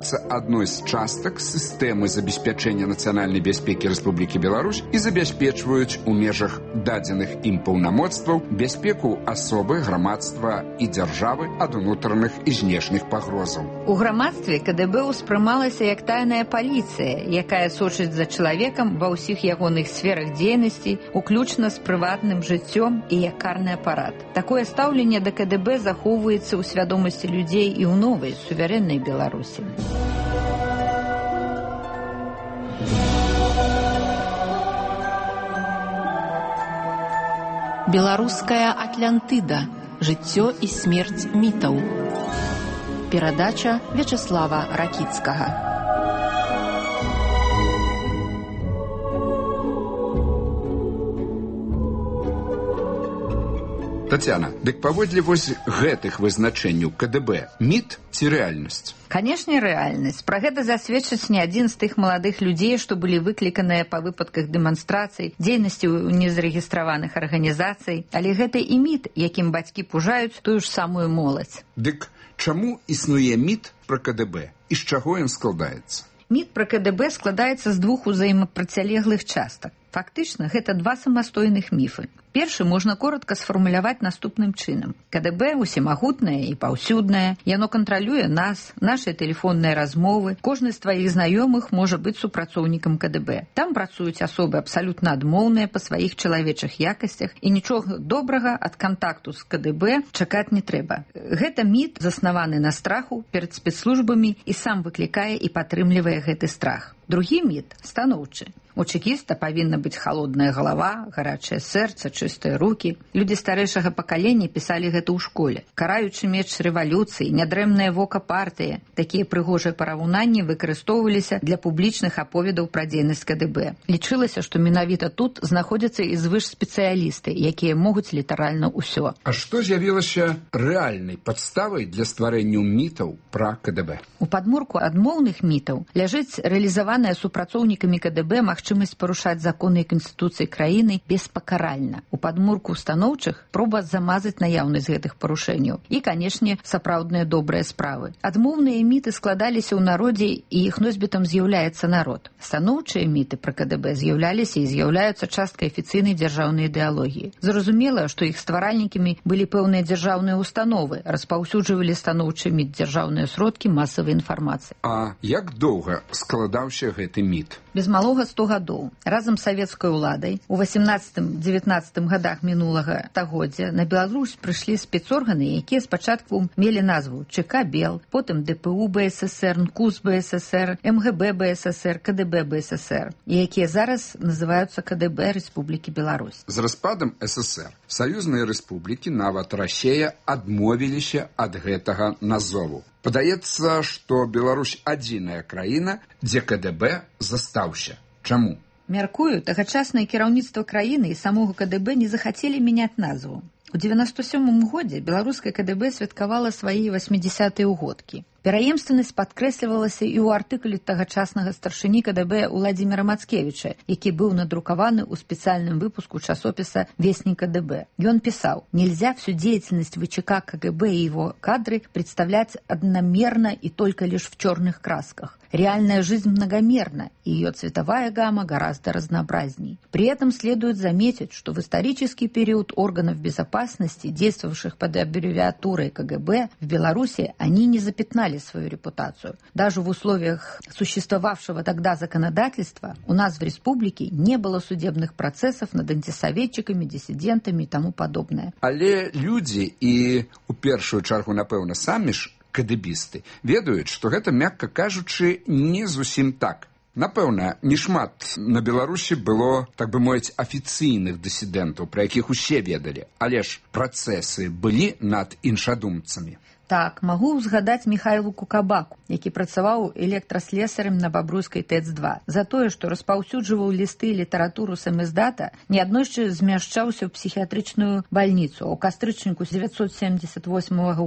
з'яўляюцца адной з частак сістэмы забеспячэння нацыянальнай бяспекі Рэспублікі Беларусь і забяспечваюць у межах дадзеных ім паўнамоцтваў бяспеку асобы, грамадства і дзяржавы ад унутраных і знешніх пагрозаў. У грамадстве КДБ успрымалася як тайная паліцыя, якая сочыць за чалавекам ва ўсіх ягоных сферах дзейнасці, уключна з прыватным жыццём і як карны апарат. Такое стаўленне да КДБ захоўваецца ў свядомасці людзей і ў новай суверэннай Беларусі. Беларуская Атлантыда. Жыццё і смерць мітаў. Перадача Вячеслава Ракіцкага. Тацяна, дык паводле вось гэтых вызначэнняў КДБ міт ці рэальнасць? Канешне, рэальнасць. Пра гэта засведчыць не адзін з тых маладых людзей, што былі выкліканыя па выпадках дэманстрацый, дзейнасці ў незарэгістраваных арганізацый, але гэта і міт, якім бацькі пужаюць тую ж самую моладзь. Дык чаму існуе міт пра КДБ і з чаго ён складаецца? Міт пра КДБ складаецца з двух узаемапрацялеглых частак. Фактычна, гэта два самастойных міфы. Першы можна коротка сфармуляваць наступным чынам. КДБ усімагутнае і паўсюднае, яно кантралюе нас, нашыя тэлефонныя размовы. Кожны з тваіх знаёмых можа быць супрацоўнікам КДБ. Там працуюць асобы абсалютна адмоўныя па сваіх чалавечых якасцях, і нічога добрага ад кантакту з КДБ чакаць не трэба. Гэта міт, заснаваны на страху перад спецслужбамі, і сам выклікае і падтрымлівае гэты страх. Другі міт станоўчы. У чекіста павінна быць халодная галава, гарачае сэрца, чыстыя рукі. Людзі старэйшага пакалення пісалі гэта ў школе. Караючы меч рэвалюцыі, нядрэмнае вока партыі. Такія прыгожыя параўнанні выкарыстоўваліся для публічных аповедаў пра дзейнасць КДБ. Лічылася, што менавіта тут знаходзяцца і звышспецыялісты, якія могуць літаральна ўсё. А што з'явілася рэальнай падставай для стварэння мітаў пра КДБ? У падмурку адмоўных мітаў ляжыць рэалізаваная супрацоўнікамі КДБ магчымасць парушаць законы і канстытуцыі краіны беспакаральна. У падмурку станоўчых проба замазаць наяўнасць гэтых парушэнняў. І, канешне, сапраўдныя добрыя справы. Адмоўныя міты складаліся ў народзе, і іх носьбітам з'яўляецца народ. Станоўчыя міты пра КДБ з'яўляліся і з'яўляюцца часткай афіцыйнай дзяржаўнай ідэалогіі. Зразумела, што іх стваральнікамі былі пэўныя дзяржаўныя установы, распаўсюджвалі станоўчы міт дзяржаўныя сродкі масавай інфармацыі. А як доўга складаўся гэты міт? Без малога 100 гадоў. Разам з савецкай уладай у 18-19 гадах мінулага стагоддзя на Беларусь прыйшлі спецорганы, якія спачатку мелі назву ЧК БЕЛ, потым ДПУ БССР, НКУС БССР, МГБ БССР, КДБ БССР, якія зараз называюцца КДБ Рэспублікі Беларусь. З распадам ССР саюзныя рэспублікі, нават Расія, адмовіліся ад гэтага назову. Падаецца, што Беларусь адзіная краіна, дзе КДБ застаўся. Чаму? Мяркую, тагачаснае кіраўніцтва краіны і самога КДБ не захацелі мяняць назву. У 97 годзе беларускае КДБ святкавала свае 80-е ўгодкі. Пераемственнасць падкрэслівалася і ў артыкуле тагачаснага старшыні КДБ Уладзіміра Мацкевіча, які быў надрукаваны ў спецыяльным выпуску часопіса «Вестник КДБ». Ён писал: «Нельзя всю деятельность ВЧК КГБ и его кадры представлять одномерно и только лишь в черных красках. Реальная жизнь многомерна, и ее цветовая гамма гораздо разнообразней. При этом следует заметить, что в исторический период органов безопасности, действовавших под аббревиатурой КГБ, в Беларуси они не запятнали свою репутацию. Даже в условиях существовавшего тогда законодательства у нас в республике не было судебных процессов над антисоветчиками, диссидентами и тому подобное». Але люди и, у першую чаргу, напэўна, самі ж кадэбісты ведаюць, што гэта, мякка кажучы, не зусім так. Напэўна, не шмат на Беларусі было, так бы мовіць, афіцыйных дысідэнтаў, пра якіх усе ведалі, але ж працэсы былі над іншадумцамі. Так, магу ўзгадаць Міхайлу Кукабаку, які працаваў электраслесарем на Бабруйскай ТЭЦ-2. За тое, што распаўсюджваў лісты і літаратуру самаздата, неаднойчы змяшчаўся ў псіхіятрычную бальніцу, а ў кастрычніку 1978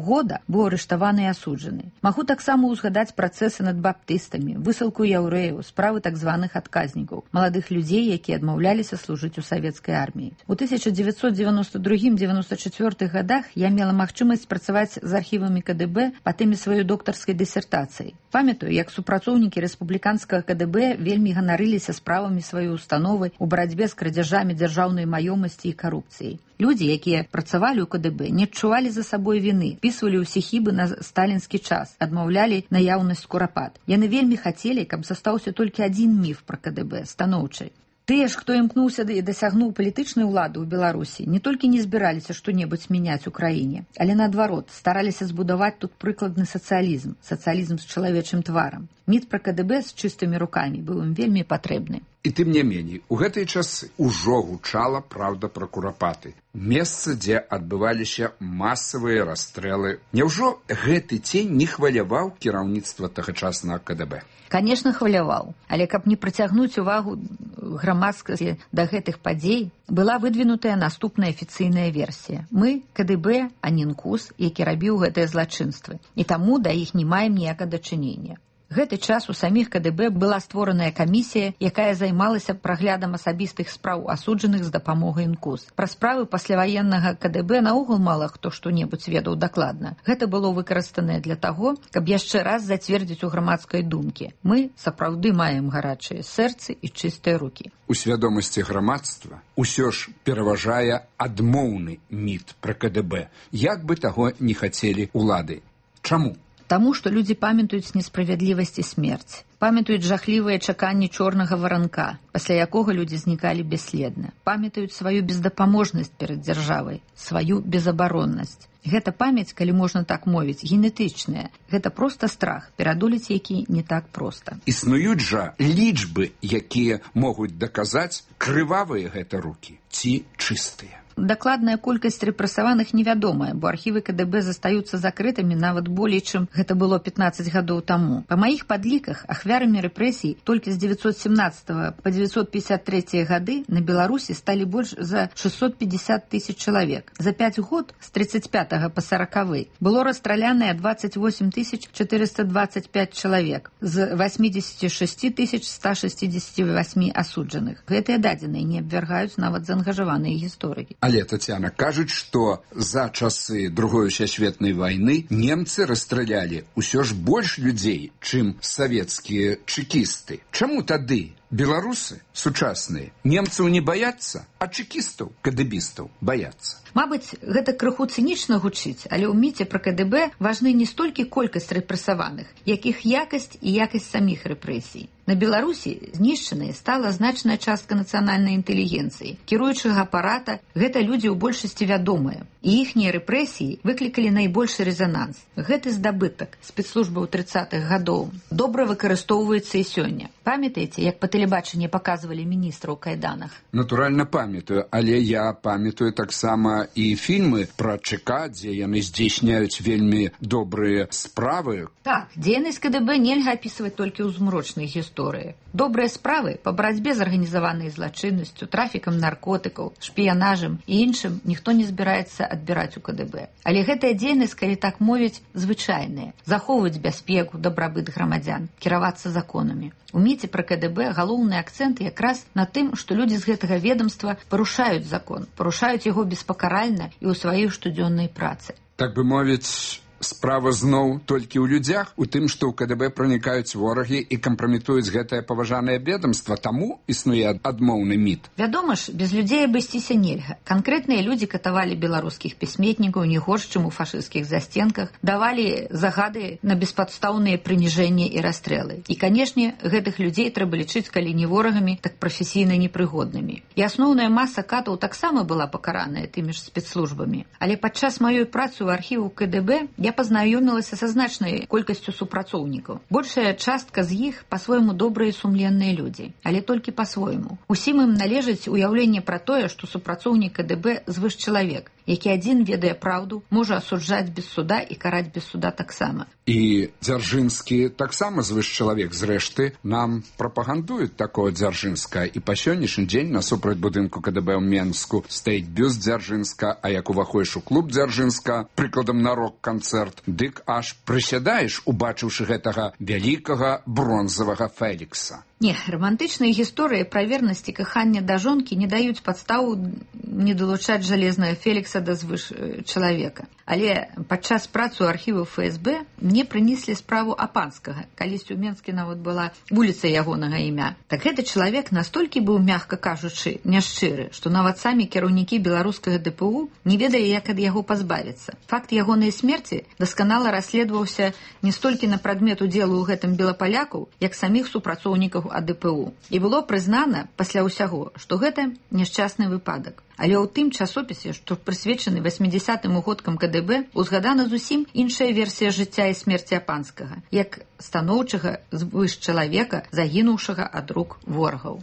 года быў арыштаваны і асуджаны. Магу таксама ўзгадаць працэсы над баптыстамі, высылку яўрэяў, справы так званых адказнікаў, маладых людзей, якія адмаўляліся служыць у савецкай арміі. У 1992-94 годах я мела магчымасць працаваць з архівам матэрыяламі КДБ па тэме сваёй доктарскай дысертацыі. Памятаю, як супрацоўнікі рэспубліканскага КДБ вельмі ганарыліся справамі сваёй установы ў барацьбе з крадзяжамі дзяржаўнай маёмасці і карупцыяй. Людзі, якія працавалі ў КДБ, не адчувалі за сабой віны, пісвалі ўсе хібы на сталінскі час, адмаўлялі наяўнасць курапат. Яны вельмі хацелі, каб застаўся толькі адзін міф пра КДБ, станоўчы. Тыя ж, хто імкнуўся і дасягнуў палітычнай улады ў Беларусі, не толькі не збіраліся што-небудзь мяняць у краіне, але наадварот, стараліся збудаваць тут прыкладны сацыялізм, сацыялізм з чалавечым тварам. Міф пра КДБ з чыстымі рукамі быў ім вельмі патрэбны. І тым не меней, у гэтыя часы ўжо гучала праўда пра курапаты. Месца, дзе адбываліся масавыя расстрэлы. Няўжо гэты цень не хваляваў кіраўніцтва тагачаснага КДБ? Канешне, хваляваў, але каб не прыцягнуць увагу грамадскасці да гэтых падзей, была выдвінутая наступная афіцыйная версія. Мы КДБ, а не НКУС, які рабіў гэтыя злачынствы, і таму да іх не маем ніякага дачынення. Гэты час у саміх КДБ была створаная камісія, якая займалася праглядам асабістых спраў асуджаных з дапамогай НКУС. Пра справы пасляваеннага КДБ наогул мала хто што-небудзь ведаў дакладна. Гэта было выкарыстанае для таго, каб яшчэ раз зацвердзіць у грамадскай думкі. Мы сапраўды маем гарачыя сэрцы і чыстыя рукі. У свядомасці грамадства ўсё ж пераважае адмоўны міф пра КДБ, як бы таго не хацелі улады. Чаму? Таму, што людзі памятаюць несправядлівасць і смерць, памятаюць жахлівыя чаканні чорнага варанка, пасля якога людзі знікалі бясследна, памятаюць сваю бездапаможнасць перад дзяржавай, сваю безабароннасць. Гэта памяць, калі можна так мовіць, генетычная. Гэта проста страх, перадолець які не так проста. Існуюць жа лічбы, якія могуць даказаць, крывавыя гэта рукі ці чыстыя. Дакладная колькасць рэпрэсаваных невядомая, бо архівы КДБ застаюцца закрытымі нават болей, чым гэта было 15 гадоў таму. Па маіх падліках, ахвярамі рэпрэсій толькі з 917 па 953 гады на Беларусі сталі больш за 650 тысяч чалавек. За 5 год, з 35 па 40 было расстраляныя 28 425 чалавек, з 86 168 асуджаных. Гэтыя дадзеныя не абвяргаюць нават заангажаваныя гісторыкі. Але, Тацяна, кажуць, што за часы Другой сусветнай вайны немцы расстралялі ўсё ж больш людзей, чым савецкія чэкісты. Чаму тады беларусы сучасныя немцаў не баяцца, а чэкістаў, кадэбістаў баяцца? Мабыць, гэта крыху цынічна гучыць, але ў міце пра КДБ важны не столькі колькасць рэпрэсаваных, як іх якасць і якасць саміх рэпрэсій. На Беларусі знішчанай стала значная частка нацыянальнай інтэлігенцыі. Кіруючага апарата гэта людзі ў большасці вядомыя, і іхнія рэпрэсіі выклікалі найбольшы рэзананс. Гэты здабытак спецслужбаў 30-х гадоў добра выкарыстоўваецца і сёння. Памятаеце, як па тэлебачанні паказвалі міністра ў кайданах? Натуральна памятаю, але я памятаю таксама і фільмы пра ЧК, дзе яны здзейсняюць вельмі добрыя справы. Так, дзейнасць КДБ нельга апісваць толькі ў змрочнай гісторыі. Добрыя справы па барацьбе з арганізаванай злачыннасцю, трафікам наркотыкаў, шпіянажам і іншым ніхто не збіраецца адбіраць у КДБ. Але гэтая дзейнасць, калі так мовіць, звычайная. Захоўваць бяспеку, дабрабыт грамадзян, кіравацца законамі. У міце пра КДБ галоўны акцэнт якраз на тым, што людзі з гэтага ведомства парушаюць закон, парушаюць яго беспакаральна і ў сваёй штодзённай працы. Так бы мовіць, справа зноў толькі ў людзях, у тым, што ў КДБ пранікаюць ворагі і кампраметуюць гэтае паважанае ведомства, таму існуе адмоўны міф. Вядома ж, без людзей абысціся нельга. Канкрэтныя людзі катавалі беларускіх пісьменнікаў не горш, чым у фашысцкіх застенках, давалі загады на беспадстаўныя прыніжэнні і расстрэлы. І, канешне, гэтых людзей трэба лічыць, калі не ворагамі, так прафесійна непрыгоднымі. І асноўная маса катаў таксама была пакараная тымі ж спецслужбамі. Але падчас маёй працы ў архіву КДБ я пазнаёмілася са значнай колькасцю супрацоўнікаў. Большая частка з іх па-свойму добрыя і сумленныя людзі, але толькі па-свойму. Усім ім належыць уяўленне пра тое, што супрацоўнік КДБ звышчалавек, які адзін ведае праўду, можа асуджаць без суда і караць без суда таксама. І Дзяржынскі таксама звышчалавек. Зрэшты, нам прапагандуюць такое Дзяржынска. І па сённяшні дзень насупраць будынку КДБ ў Менску стаіць бюст Дзяржынска, а як уваходзіш у клуб Дзяржынска, прыкладам на рок-канцэрт, дык аж прысядаеш, убачыўшы гэтага вялікага бронзавага Фелікса. Не, романтычныя гісторыі пра вернасць і каханне да жонкі не даюць падставу не далучаць жалезнага Фелікса да звыш чалавека. Але падчас працы ў архіву ФСБ мне прынеслі справу Апанскага. Калісьці ў Менске нават была вуліца ягонага імя. Так гэты чалавек настолькі быў, мякка кажучы, няшчыры, што нават самі кіраўнікі беларускага ДПУ не ведалі, як ад яго пазбавіцца. Факт ягонай смерці дасканала расследаваўся не столькі на прадмет удзелу ў гэтым белапалякаў, як саміх супрацоўнікаў АДПУ. І было прызнана пасля ўсяго, што гэта няшчасны выпадак. Але ў тым часопісе, што прысвечаны 80-м угодкам КДБ, узгадана зусім іншая версія жыцця і смерці Апанскага, як станоўчага звышчалавека, загінуўшага ад рук ворагаў.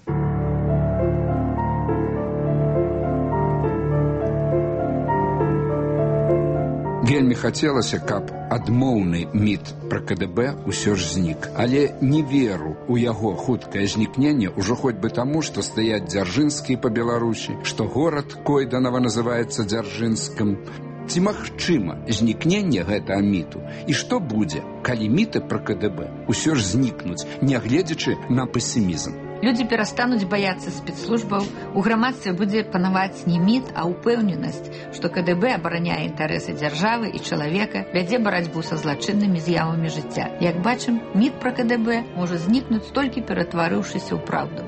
Вельмі хацелася, каб адмоўны міт пра КДБ усё ж знік. Але не веру ў яго хуткае знікненне ўжо хоць бы таму, што стаяць Дзяржынскія па Беларусі, што горад Койданава называецца Дзяржынскім. Ці магчыма знікненне гэтага міту? І што будзе, калі міты пра КДБ усё ж знікнуць, нягледзячы на песімізм? Людзі перастануць баяцца спецслужбаў, у грамадстве будзе панаваць не міт, а ўпэўненасць, што КДБ абараняе інтарэсы дзяржавы і чалавека, вядзе барацьбу са злачыннымі з'явамі жыцця. Як бачым, міт пра КДБ можа знікнуць толькі ператварыўшыся ў праўду.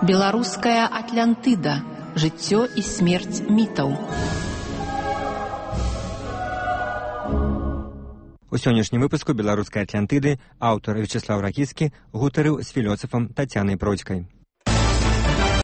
Беларуская Атлантыда. Жыццё і смерць мітаў. У сённяшнім выпуску беларускай Атлантыды аўтар Вячеслав Ракіцкі гутарыў з філёсафам Тацянай Бродзькай.